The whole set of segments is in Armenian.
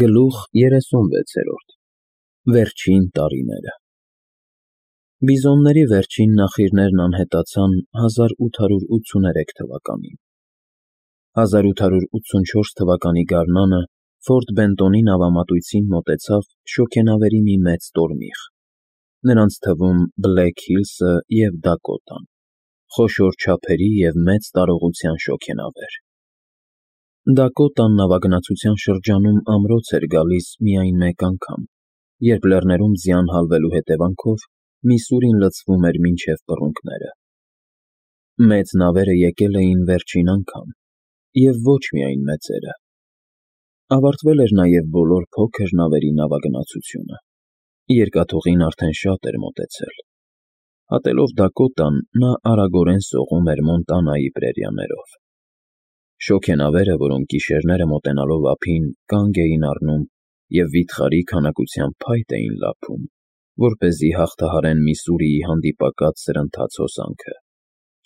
Գլուխ 36 Վերջին տարիները Բիզոնների վերջին նախիրներն անհետացան 1883 թվականին։ 1884 թվականի գարնանը Ֆորտ Բենտոնի նավամատույցին մոտեցավ շոգենավերի մի մեծ տորմիղ, նրանց թվում Բլեք Հիլսը և Դակոտան, խոշոր չափերի և մեծ տարողության շոգենավեր։ Դակոտան նավագնացության շրջանում ամրոց էր գալիս միայն մեկ անգամ, երբ լեռներում ձյան հալվելու հետևանքով Միսսուրին լցվում էր մինչև բռունկները։ Մեծ նավերը եկել էին վերջին անգամ, և ոչ միայն մեծերը։ Ավարտվել էր նաև բոլոր փոքր նավերի նավագնացությունը, երկաթուղին արդեն շատ էր մոտեցել։ Հատելով Դակոտան, նա արագորեն սողում էր Մոնտանայի պրերիաներով։ Շոգենավերը, որոնք գիշերները մոտենալով ափին, կանգ էին առնում և վիթխարի քանակությամբ փայտ էին լափում, որպեսզի հաղթահարեն Միսսուրիի հանդիպակաց սրընթաց հոսանքը,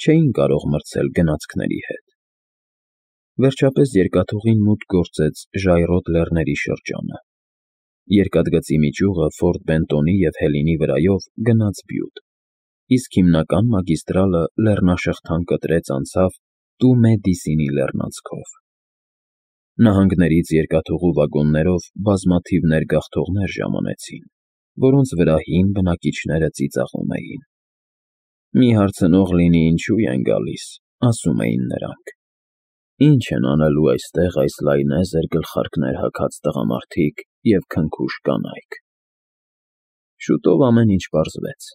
չէին կարող մրցել գնացքների հետ։ Վերջապես երկաթուղին մուտք գործեց Ժայռոտ լեռների շրջանը։ Երկաթգծի մի ճյուղը Ֆորտ Բենտոնի և Հելինի վրայով գնաց Բյուտ, իսկ հիմնական մագիստրալը լեռնաշղթան կտրեց անցավ Տումե Դիսինի լեռնանցքով։ Նահանգներից երկաթուղու վագոններով բազմաթիվ ներգաղթողներ ժամանեցին, որոնց վրա հին բնակիչները ծիծաղում էին։ «Մի հարցնող լինի ինչու են գալիս», ասում էին նրանք։ «Ինչ են անելու այստեղ այս լայնեզր գլխարկներ հագած տղամարդիկ և քնքուշ կանայք»։ Շուտով ամեն ինչ պարզվեց։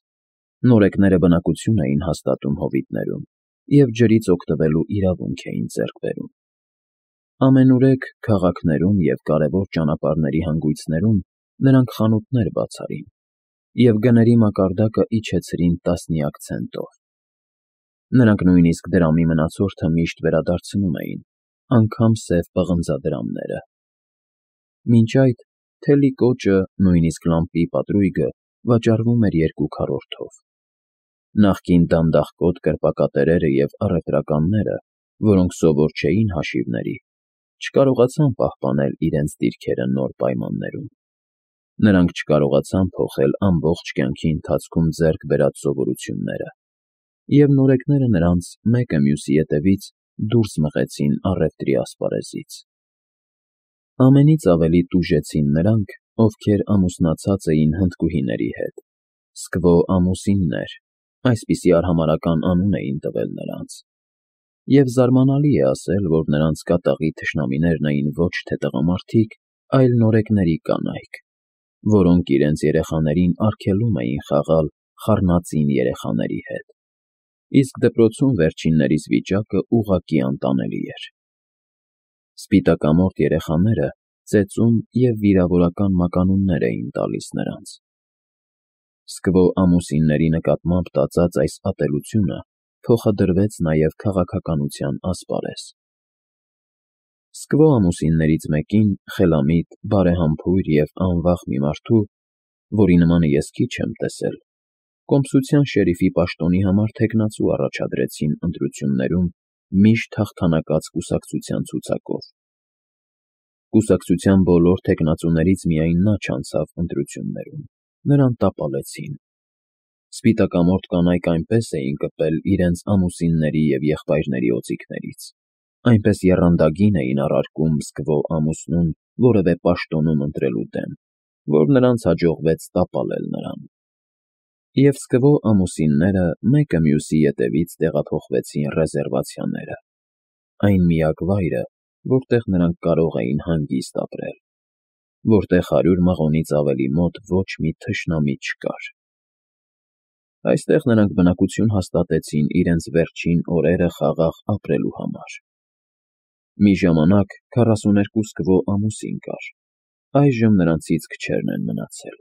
Նորեկները բնակություն էին հաստատում հովիտներում և ջրից օգտվելու իրավունք էին ձեռք բերում։ Ամենուրեք քաղաքներում և կարևոր ճանապարհների հանգույցներում նրանք խանութներ բաց արին և գների մակարդակը իջեցրին տասնյակ ցենտով։ Նրանք նույնիսկ դրամի մնացորդը միշտ վերադարձնում էին, անգամ սև պղնձադրամները։ Մինչ այդ թելի կոճը, նույնիսկ լամպի պատրույգը վաճառվում էր 2 քառորդով։ Նախկին դանդաղկոտ կրպակատերերը և առևտրականները, որոնք սովոր չէին հաշիվների, չկարողացան պահպանել իրենց դիրքերը նոր պայմաններում։ Նրանք չկարողացան փոխել ամբողջ կյանքի ընթացքում ձեռք բերած սովորությունները, և նորեկները նրանց մեկը մյուսի ետևից դուրս մղեցին առևտրի ասպարեզից։ Ամենից ավելի տուժեցին նրանք, ովքեր ամուսնացած էին հնդկուհիների հետ, Սկվո ամուսիններ, այսպիսի արհամարհական անուն էին տվել նրանց։ Եվ զարմանալի է ասել, որ նրանց կատաղի թշնամիներն էին ոչ թե տղամարդիկ, այլ նորեկների կանայք, որոնք իրենց երեխաներին արգելում էին խաղալ խառնածին երեխաների հետ, իսկ դպրոցում վերջիններիս վիճակը ուղղակի անտանելի էր։ Սպիտակամորթ երեխաները ծեծում և վիրավորական մականուններ էին տալիս նրանց։ Սկվո ամուսինների նկատմամբ տածած այս ատելությունը փոխադրվեց նաև քաղաքականության ասպարեզ։ Սկվո ամուսիններից մեկին խելամիտ, բարեհամբույր և անվախ մի մարդու, որի նմանը ես քիչ եմ տեսել, կոմսության շերիֆի պաշտոնի համար թեկնածու առաջադրեցին ընտրություններում միշտ հաղթանակած կուսակցության ցուցակով։ Կուսակցության բոլոր թեկնածուներից միայն նա չանցավ ընտրություններում, նրան տապալեցին։ Սպիտակամորթ կանայք այնպես էին կպել իրենց ամուսինների և եղբայրների օձիքներից, այնպես եռանդագին էին առարկում Սկվո ամուսնուն որևէ պաշտոնում ընտրելու դեմ, որ նրանց հաջողվեց տապալել նրան։ Եվ Սկվո ամուսինները մեկը մյուսի ետևից տեղափոխվեցին ռեզերվացիաները, այն միակ վայրը, որտեղ նրանք կարող էին հանգիստ ապրել, որտեղ 100 մղոնից ավելի մոտ ոչ մի թշնամի չկար։ Այստեղ նրանք բնակություն հաստատեցին իրենց վերջին օրերը խաղաղ ապրելու համար։ Մի ժամանակ 42 Սկվո ամուսին կար, այժմ նրանցից քչերն են մնացել։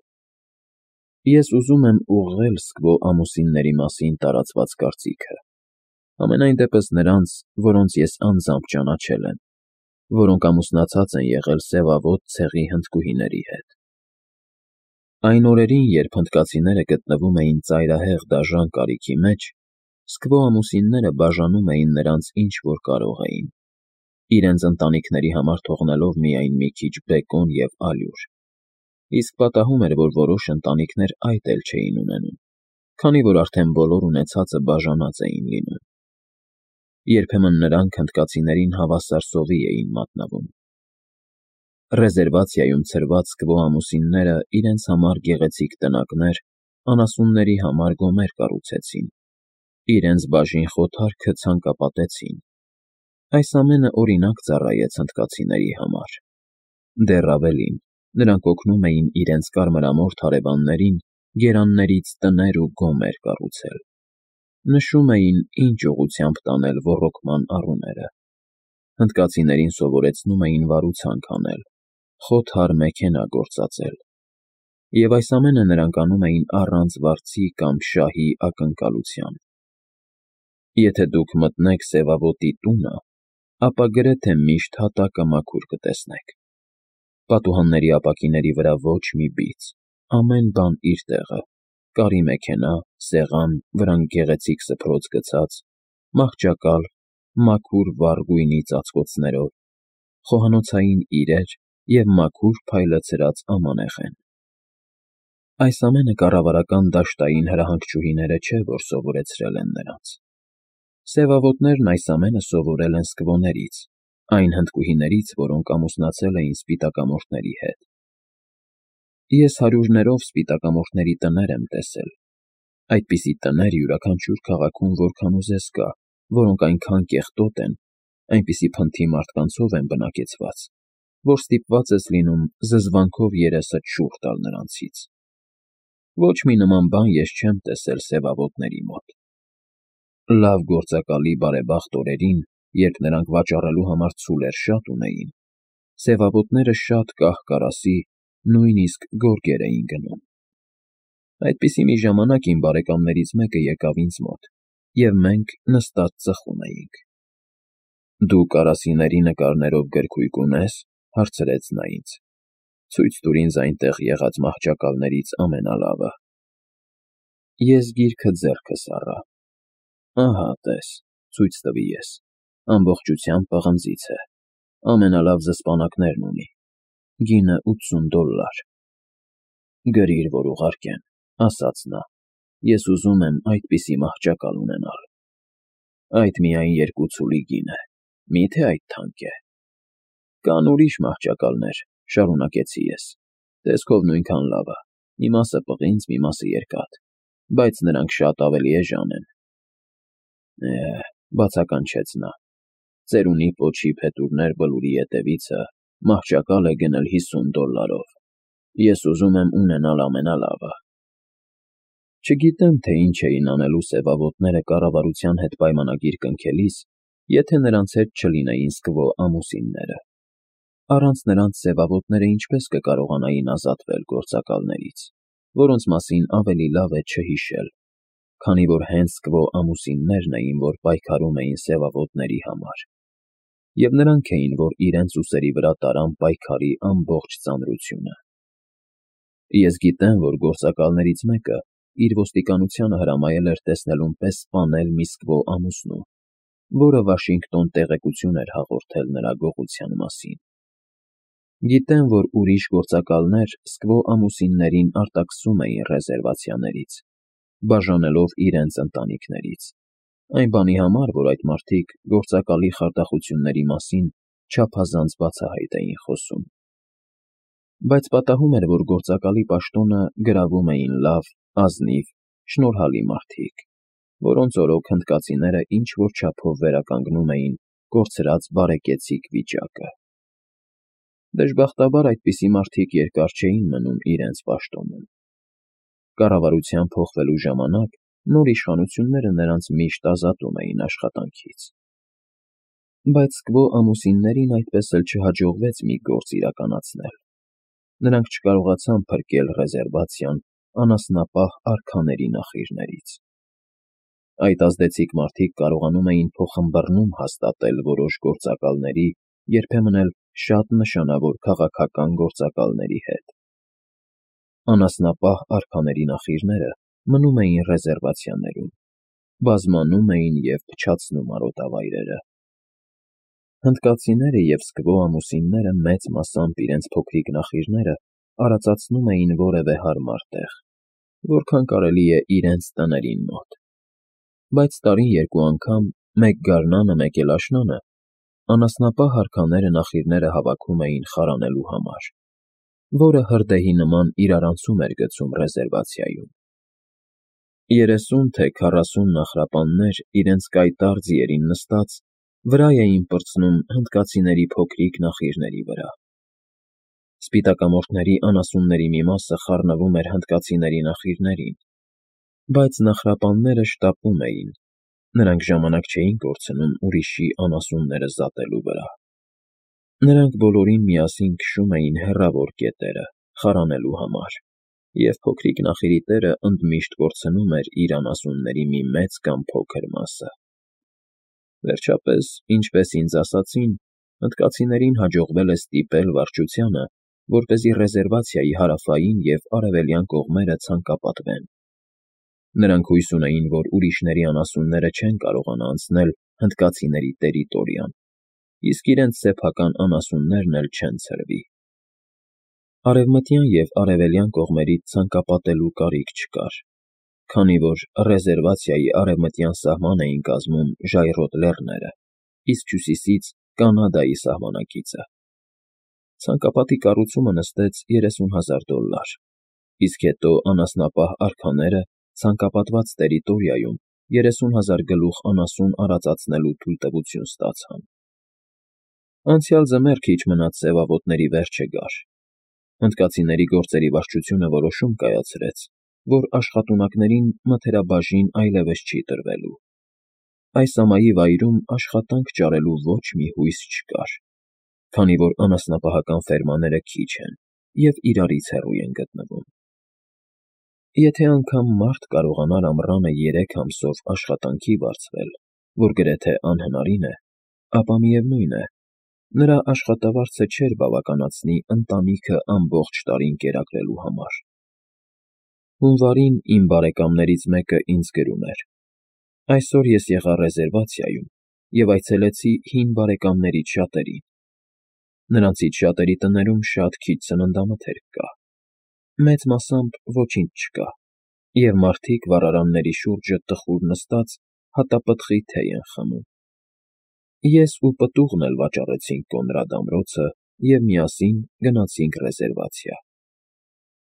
Ես ուզում եմ ուղղել Սկվո ամուսինների մասին տարածված կարծիքը, համենայն դեպս նրանց, որոնց ես անձամբ ճանաչել եմ, որոնք ամուսնացած են եղել սևավոտ ցեղի հնդկուհիների հետ։ Այն օրերին, երբ հնդկացիները գտնվում էին ծայրահեղ դաժան կարիքի մեջ, Սկվո ամուսինները բաժանում էին նրանց ինչ որ կարող էին, իրենց ընտանիքների համար թողնելով միայն մի քիչ բեկոն և ալյուր, իսկ պատահում էր, որ որոշ ընտանիքներ այդ էլ չէին ունենում, քանի որ արդեն բոլոր ունեցածը բաժանած էին լինում։ Երբեմն նրանք հնդկացիներին հավասար սովի էին մատնվում։ Ռեզերվացիայում ցրված կվո ամուսինները իրենց համար գեղեցիկ տնակներ, անասունների համար գոմեր կառուցեցին, իրենց բաժին խոթարքը ցանկապատեցին։ Այս ամենը օրինակ ծառայեց հնդկացիների համար։ Դեռ ավելին, նրանք օգնում էին իրենց կարմրամորթ հարևաններին գերաններից տներ ու գոմեր կառուցել։ Նշում էին, ինչ ուղղությամբ տանել ոռոգման առուները։ Հնդկացիներին սովորեցնում էին վարուցանք անել, խոթար մեքենա գործածել։ Եվ այս ամենը նրանք անում էին առանց վարձի կամ շահի ակնկալության։ Եթե դուք մտնեք սևավոտի տունը, ապա գրեթե միշտ հատակը մաքուր կտեսնեք։ Պատուհանների ապակիների վրա ոչ մի բիծ, ամեն բան իր տեղը, կարի մեքենա, սեղան, վրան գեղեցիկ սփռոց գցած, մահճակալ, մաքուր վառ գույնի ծածկոցներով, խոհանոցային իրեր և մաքուր փայլը ցրած ամանեղեն։ Այս ամենը կառավարական դաշտային հրահանգչուհիները չէ, որ սովորեցրել են նրանց։ Սևավոտներն այս ամենը սովորել են սկվոներից, այն հնդկուհիներից, որոնք ամուսնացել էին սպիտակամորթների հետ։ Ես հարյուրներով սպիտակամորթների տներ եմ տեսել։ Այդպիսի տներ յուրաքանչյուր քաղաքում որքան ուզես կա, որոնք այնքան կեղտոտ են, այնպիսի փնթի մարդկանցով են բնակեցված, որ ստիպված ես լինում զզվանքով երեսդ շուռ տալ նրանցից։ Ոչ մի նման բան ես չեմ տեսել սևավոտների մոտ։ Լավ գործակալի բարեբախտ օրերին, երբ նրանք վաճառելու համար ցուլեր շատ ունեին, սևավոտները շատ կահ֊կարասի, նույնիսկ գորգեր էին գնում։ Այդպիսի մի ժամանակ իմ բարեկամներից մեկը եկավ ինձ մոտ, և մենք նստած ծխում էինք։ «Դու կարասիների նկարներով գրքույկ ունե՞ս», հարցրեց նա ինձ։ «Ցույց տուր ինձ այնտեղ եղած մահճակալներից ամենալավը»։ Ես գիրքը ձեռքս առա։ «Ահա, տես», ցույց տվի ես, ամբողջությամբ պղնձից է, ամենալավ զսպանակներն ունի, գինը $80։ «Գրիր, որ ուղարկեմ», ասաց նա, «ես ուզում եմ այդպիսի մահճակալ ունենալ»։ «Այդ միայն 2 ցուլի գին է, մի՞թե այդ թանկ է»։ «Կան ուրիշ մահճակալներ», շարունակեցի ես, «տեսքով նույնքան լավը, մի մասը պղինձ, մի մասը երկաթ, բայց նրանք շատ ավելի էժան են»։ Բացականչեց նա, «ծերունի պոչի փետուրներ բլուրի ետևիցը մահճակալ է գնել $50։ Ես ուզում եմ ունենալ ամենալավը»։ Չգիտեմ, թե ինչ էին անելու սևավոտները կառավարության հետ պայմանագիր կնքելիս, եթե նրանց հետ չլինեին սկվո ամուսինները։ Առանց նրանց սևավոտները ինչպես կկարողանային ազատվել գործակալներից, որոնց մասին ավելի լավ է չհիշել, քանի որ հենց սկվո ամուսիններն էին, որ պայքարում էին սևավոտների համար, և նրանք էին, որ իրենց ուսերի վրա տարան պայքարի ամբողջ ծանրությունը։ Ես գիտեմ, որ գործակալներից մեկը իր ոստիկանությանը հրամայել էր տեսնելուն պես սպանել մի սկվո ամուսնու, որը Վաշինգտոն տեղեկություն էր հաղորդել նրա գողության մասին։ Գիտեմ, որ ուրիշ գործակալներ սկվո ամուսիններին արտաքսում էին ռեզերվացիաներից, բաժանելով իրենց ընտանիքներից, այն բանի համար, որ այդ մարդիկ գործակալի խարդախությունների մասին չափազանց բացահայտ էին խոսում։ Բայց պատահում էր, որ գործակալի պաշտոնը գրավում էին լավ, ազնիվ, շնորհալի մարդիկ, որոնց օրոք հնդկացիները ինչ-որ չափով վերականգնում էին կորցրած բարեկեցիկ վիճակը։ Դժբախտաբար այդպիսի մարդիկ երկար չէին մնում իրենց պաշտոնում։ Կառավարության փոխվելու ժամանակ նոր իշխանությունները նրանց միշտ ազատում էին աշխատանքից։ Բայց սկվո ամուսիններին այդպես էլ չհաջողվեց մի գործ իրականացնել։ Նրանք չկարողացան փրկել ռեզերվացիան անասնապահ արքաների նախիրներից։ Այդ ազդեցիկ մարդիկ կարողանում էին փոխըմբըռնում հաստատել որոշ գործակալների, երբեմն էլ շատ նշանավոր քաղաքական գործակալների հետ։ Անասնապահ արքաների նախիրները մնում էին ռեզերվացիաներում, բազմանում էին և փչացնում արոտավայրերը։ Հնդկացիները և սկվո ամուսինները մեծ մասամբ իրենց փոքրիկ նախիրները արածացնում էին որևէ հարմար տեղ, որքան կարելի է իրենց տներին մոտ, բայց տարին երկու անգամ, մեկ գարնանը, մեկ էլ աշնանը, անասնապահ արքաները նախիրները հավաքում էին խարանելու համար, որը հրդեհի նման իրարանցում էր գցում ռեզերվացիայում։ 30 թե 40 նախրապաններ իրենց կայտառ ձիերին նստած վրա էին պրծնում հնդկացիների փոքրիկ նախիրների վրա։ Սպիտակամորթների անասունների մի մասը խառնվում էր հնդկացիների նախիրներին, բայց նախրապանները շտապում էին, նրանք ժամանակ չէին կորցնում ուրիշի անասունները զատելու վրա։ Նրանք բոլորին միասին քշում էին հեռավոր կետերը, խարանելու համար, և փոքրիկ նախիրի տերը ընդմիշտ կորցնում էր իր անասունների մի մեծ կամ փոքր մասը։ Վերջապես, ինչպես ինձ ասացին, հնդկացիներին հաջողվել է ստիպել վարչությանը, որպեսզի ռեզերվացիայի հարավային և արևելյան կողմերը ցանկապատվեն։ Նրանք հույս ունեին, որ ուրիշների անասունները չեն կարողանա անցնել հնդկացիների տերիտորիան, իսկ իրենց սեփական անասուններն էլ չեն ցրվի։ Արևմտյան և արևելյան կողմերից ցանկապատելու կարիք չկար, քանի որ ռեզերվացիայի արևմտյան սահման էին կազմում ժայռոտ լեռները, իսկ հյուսիսից Կանադայի սահմանակիցը։ Ցանկապատի կառուցումը նստեց $30,000, իսկ հետո անասնապահ արքաները ցանկապատված տերիտորիայում 30,000 գլուխ անասուն արածացնելու թույլտվություն ստացան։ Անցյալ ձմեռ քիչ մնաց սևավոտների վերջը գար։ Հնդկացիների գործերի վարչությունը որոշում կայացրեց, որ աշխատունակներին մթերաբաժին այլևս չի տրվելու։ Այս ամայի վայրում աշխատանք ճարելու ոչ մի հույս չկար, քանի որ անասնապահական ֆերմաները քիչ են և իրարից հեռու են գտնվում։ Եթե անգամ մարդ կարողանար ամռանը 3 ամսով աշխատանքի վարձվել, որ գրեթե անհնարին է, ապա միևնույն է, նրա աշխատավարձը չէր բավականացնի ընտանիքը ամբողջ տարին կերակրելու համար։ Հունվարին իմ բարեկամներից մեկը ինձ գրում էր. «Այսօր ես եղա ռեզերվացիայում և այցելեցի հին բարեկամներից շատերին։ Նրանցից շատերի տներում շատ քիչ սննդամթերք կա, մեծ մասամբ ոչինչ չկա, և մարդիկ վառարանների շուրջը տխուր նստած հատապտղի թեյ են խմում։ Ես ու պտուղն էլ վաճառեցինք Կոնրադ ամրոցը և միասին գնացինք ռեզերվացիա։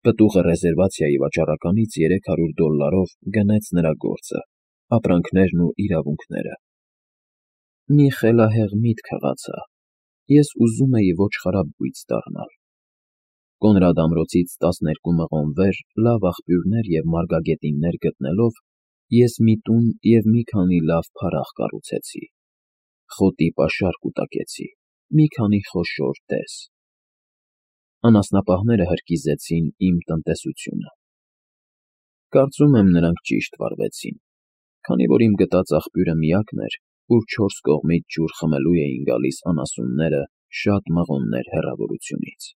Պտուղը ռեզերվացիայի վաճառականից $300 գնեց նրա գործը, ապրանքներն ու իրավունքները։ Մի խելահեղ միտք հղացա. ես ուզում էի ոչխարաբույծ դառնալ։ Կոնրադ ամրոցից 12 մղոն վեր լավ աղբյուրներ և մարգագետիններ գտնելով, ես մի տուն և մի քանի լավ փարաղ կառուցեցի։ Խոտի պաշար կուտակեցի, մի քանի խոշոր տես։ Անասնապահները հրկիզեցին իմ տնտեսությունը։ Կարծում եմ, նրանք ճիշտ վարվեցին, քանի որ իմ գտած աղբյուրը միակն էր, ուր 4 կողմից ջուր խմելու էին գալիս անասունները շատ մղոններ հեռավորությունից։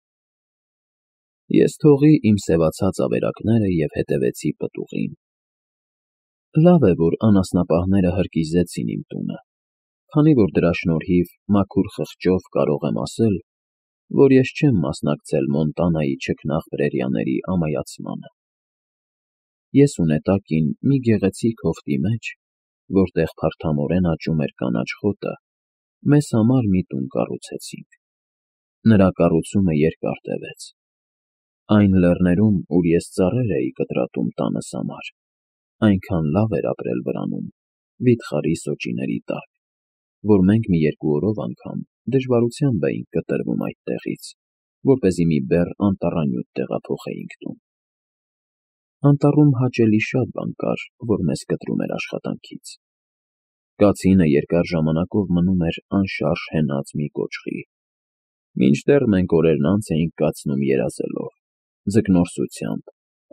Ես թողի իմ սևացած ավերակները և հետևեցի պտուղին։ Լավ է, որ անասնապահները հրկիզեցին իմ տունը, քանի որ դրա շնորհիվ մաքուր խղճով կարող եմ ասել, որ ես չեմ մասնակցել Մոնտանայի չքնաղ ամայացմանը։ Ես ու նետակին մի գեղեցիկ հովտի մեջ, որտեղ փարթամորեն աճում էր կանաչ խոտը, մեզ համար մի տուն կառուցեցինք։ Նրա կառուցումը երկար տևեց։ Այն լեռներում, ուր ես ծառեր էի կտրատում տանս համար, այնքան լավ էր ապրել վրանում, վիթխարի սոճիների տակ, որ մենք մի երկու օրով անգամ դժվարությամբ էինք կտրվում այդտեղից, որպեսզի մի բեռ անտառանյութ տեղափոխեինք տուն։ Անտառում հաճելի շատ բան կար, որ մեզ կտրում էր աշխատանքից։ Կացինը երկար ժամանակով մնում էր անշարժ հենած մի կոճղի, մինչդեռ մենք օրերն անց էինք կացնում երազելով, ձկնորսությամբ,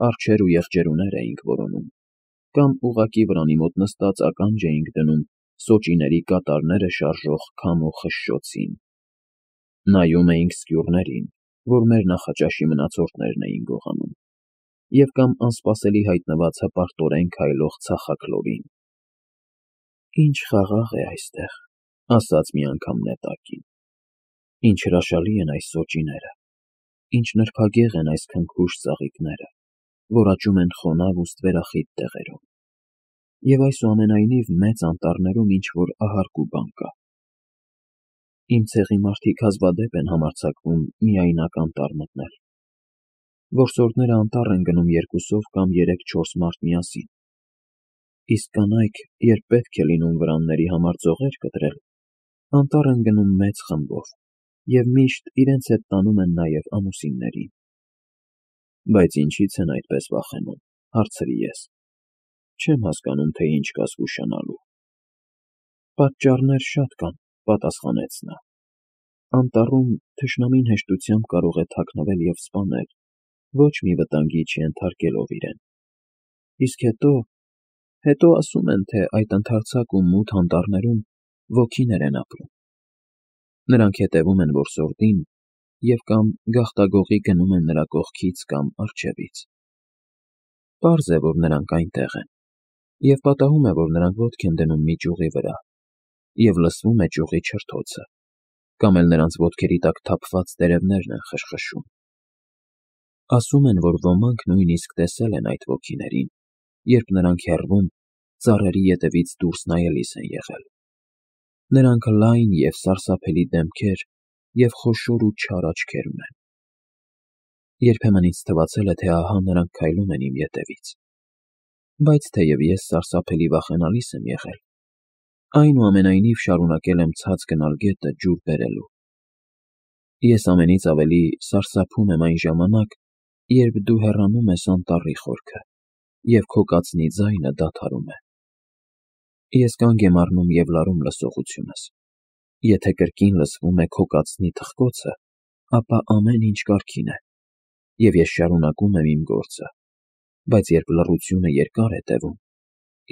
արջեր ու եղջերուներ էինք որոնում, կամ ուղղակի վրանի մոտ նստած ականջ էինք դնում սոճիների կատարները շարժող քամու խշշոցին։ Նայում էինք սկյուռներին, որ մեր նախաճաշի մնացորդներն էին գողանում, և կամ անսպասելի հայտնված հպարտորեն քայլող ծխախլորին։ Ինչ խաղաղ է այստեղ, ասաց մի անգամ Նետակին։ Ինչ հրաշալի են այս սոճիները, ինչ նրբագեղ են այս քնքուշ ծաղիկները, որ աճում են խոնավ ու ստվերախիտ տեղերում։ Եվ այսուամենայնիվ մեծ անտառներում ինչ-որ ահարկ ու բան կա։ Իմ ցեղի մարդիկ հազվադեպ են համարձակվում միայնակ անտառ մտնել։ Որսորդները անտառ են գնում երկուսով կամ 3-4 մարդ միասին։ Իսկ կանայք, երբ պետք է լինում վրանների համար ձողեր կտրել, անտառ են գնում մեծ խմբով և միշտ իրենց հետ տանում են նաև ամուսիններին։ Բայց ինչի՞ց են այդպես վախենում, հարցրի ես։ Չեմ հասկանում, թե ինչ կա զգուշանալու։ Պատճառներ շատ կան, պատասխանեց նա։ Անտառում թշնամին հեշտությամբ կարող է թաքնվել և սպանել, ոչ մի վտանգի չենթարկելով իրեն։ Իսկ հետո ասում են, թե այդ ընդարձակ ու մութ անտառներում ոգիներ են ապրում։ Նրանք հետևում են որսորդին և կամ գաղտագողի գնում են նրա կողքից կամ առջևից։ Պարզ է, որ նրանք այնտեղ են, և պատահում է, որ նրանք ոտք են դնում մի ճյուղի վրա, և լսվում է ճյուղի չրթոցը, կամ էլ նրանց ոտքերի տակ թափված տերևներն են խշխշում։ Ասում են, որ ոմանք նույնիսկ տեսել են այդ ոգիներին, երբ նրանք հեռվում ծառերի ետևից դուրս նայելիս են եղել։ Նրանք լայն և սարսափելի դեմքեր և խոշոր ու չար աչքեր ունեն։ Երբեմն ինձ թվացել է, թե ահա նրանք քայլում են իմ ետևից։ Բայց թեև ես սարսափելի վախենալիս եմ եղել, այնուամենայնիվ շարունակել եմ ցած գնալ գետը ջուր բերելու։ Ես ամենից ավելի սարսափում եմ այն ժամանակ, երբ դու հեռանում ես անտառի խորքը, և քո կացնի ձայնը դադարում է։ Ես կանգ եմ առնում և լարում լսողությունս։ Եթե կրկին լսվում է քո կացնի թխկոցը, ապա ամեն ինչ կարգին է, և ես շարունակում եմ իմ գործը, բայց երբ լռությունը երկար է տևում,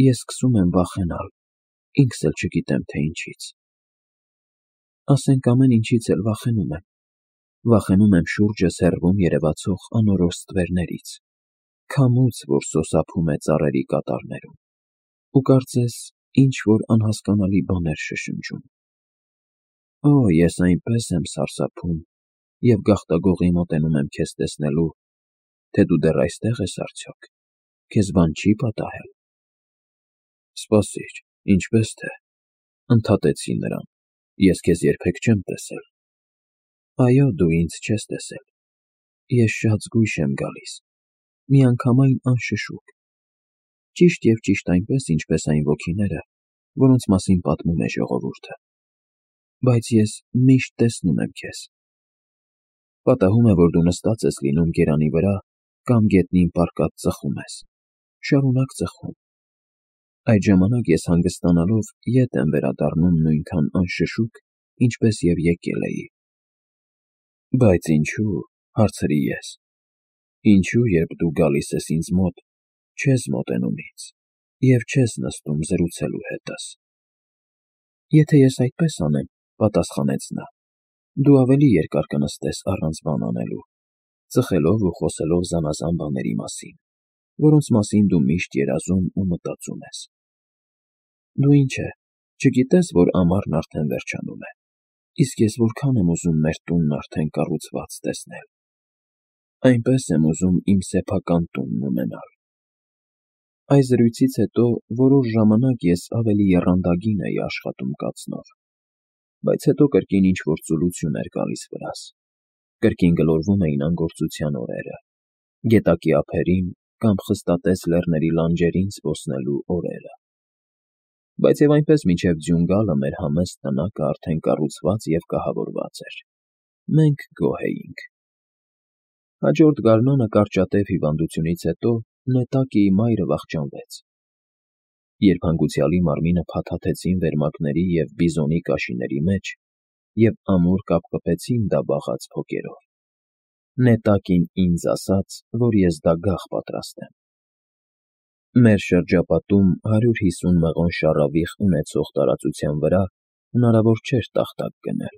ես սկսում եմ վախենալ, ինքս էլ չգիտեմ, թե ինչից։ Ասենք ամեն ինչից էլ վախենում եմ։ Վախենում եմ շուրջս հեռվում երևացող անորոշ ստվերներից, քամուց, որ սոսափում է ծառերի կատարներում, ու կարծես ինչ-որ անհասկանալի բաներ շշնջում։ Օ, ես այնպես եմ սարսափում և գաղտագողի մոտենում եմ քեզ տեսնելու, թե դու դեռ այստեղ ես արդյոք, քեզ բան չի պատահել։ Սպասիր, ինչպես թե, ընդհատեցի նրան, ես քեզ երբեք չեմ տեսել։ Այո, դու ինձ չես տեսել։ Ես շատ զգույշ եմ գալիս, միանգամայն անշշուկ, ճիշտ և ճիշտ այնպես, ինչպես այն ոգիները, որոնց մասին պատմում է ժողովուրդը։ Բայց ես միշտ տեսնում եմ քեզ։ Պատահում է, որ դու նստած ես լինում գերանի վրա կամ գետնին պառկած ծխում ես, շարունակ ծխում։ Այդ ժամանակ ես հանգստանալով ետ եմ վերադառնում նույնքան անշշուկ, ինչպես և եկել էի։ Բայց ինչու, հարցրի ես, ինչու, երբ դու գալիս ես ինձ մոտ, չես մոտենում ինձ և չես նստում զրուցելու հետս։ Եթե ես այդպես անեմ, պատասխանեց նա, դու ավելի երկար կնստես առանց բան անելու, ծխելով ու խոսելով զանազան բաների մասին, որոնց մասին դու միշտ երազում ու մտածում ես։ Դու ինչ է, չգիտես, որ ամառն արդեն վերջանում է, իսկ ես որքան եմ ուզում մեր տունն արդեն կառուցված տեսնել։ Այնպես եմ ուզում իմ սեփական տունն ունենալ։ Այս զրույցից հետո որոշ ժամանակ ես ավելի եռանդագին էի աշխատում կացնով, բայց հետո կրկին ինչ-որ ծուլություն էր գալիս վրաս, կրկին գլորվում էին անգործության օրերը, գետակի ափերին կամ խստատես լեռների լանջերին զբոսնելու օրերը։ Բայց և այնպես մինչև ձյուն գալը մեր համեստ տնակը արդեն կառուցված և կահավորված էր։ Մենք գոհ էինք։ Հաջորդ գարնանը կարճատև հիվանդությունից հետո Նետակիի մայրը վախճանվեց։ Երբ հանգուցյալի մարմինը փաթաթեցին վերմակների և բիզոնի կաշիների մեջ և ամուր կապկպեցին դա բաղած փոկերով, Նետակին ինձ ասաց, որ ես դագաղ պատրաստեմ։ Մեր շրջապատում 150 մղոն շառավիղ ունեցող տարածության վրա հնարավոր չէր տախտակ գնել,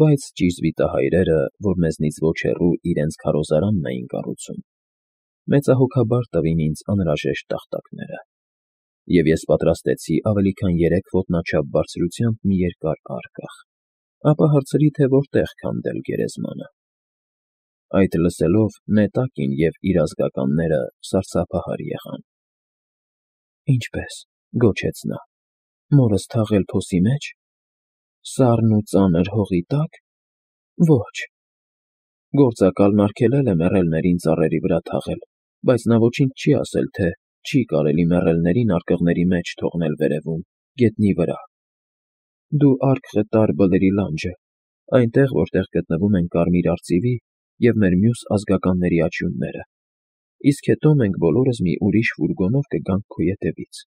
բայց ճիզվիտահայրերը, որ մեզնից ոչ հեռու իրենց քարոզարանն էին կառուցում, մեծահոգաբար տվին ինձ անհրաժեշտ տախտակները։ և ես պատրաստեցի ավելի քան 3 ոտնաչափ բարձրությամբ մի երկար արկղ, ապա հարցրի, թե որտեղ քանդել գերեզմանը։ Այդ լսելով Նետակին և իր ազգականները սարսափահար եղան։ «Ինչպե՞ս,֊ գոչեց նա,֊ մորս թաղել փոսի մեջ, սառն ու ծանր հողի տա՞կ։ Ոչ. գործակալն արգելել է մեռելներին ծառերի վրա թաղել, բայց նա ոչինչ չի ասել, թե չի կարելի մեռելներին արկղերի մեջ թողնել վերևում, գետնի վրա։ Դու արկղը տար Բլրի լանջը, այնտեղ, որտեղ գտնվում են կարմիր արծիվի և մեր մյուս ազգականների աճյունները, իսկ հետո մենք բոլորս մի ուրիշ ֆուրգոնով կգանք քո ետևից»։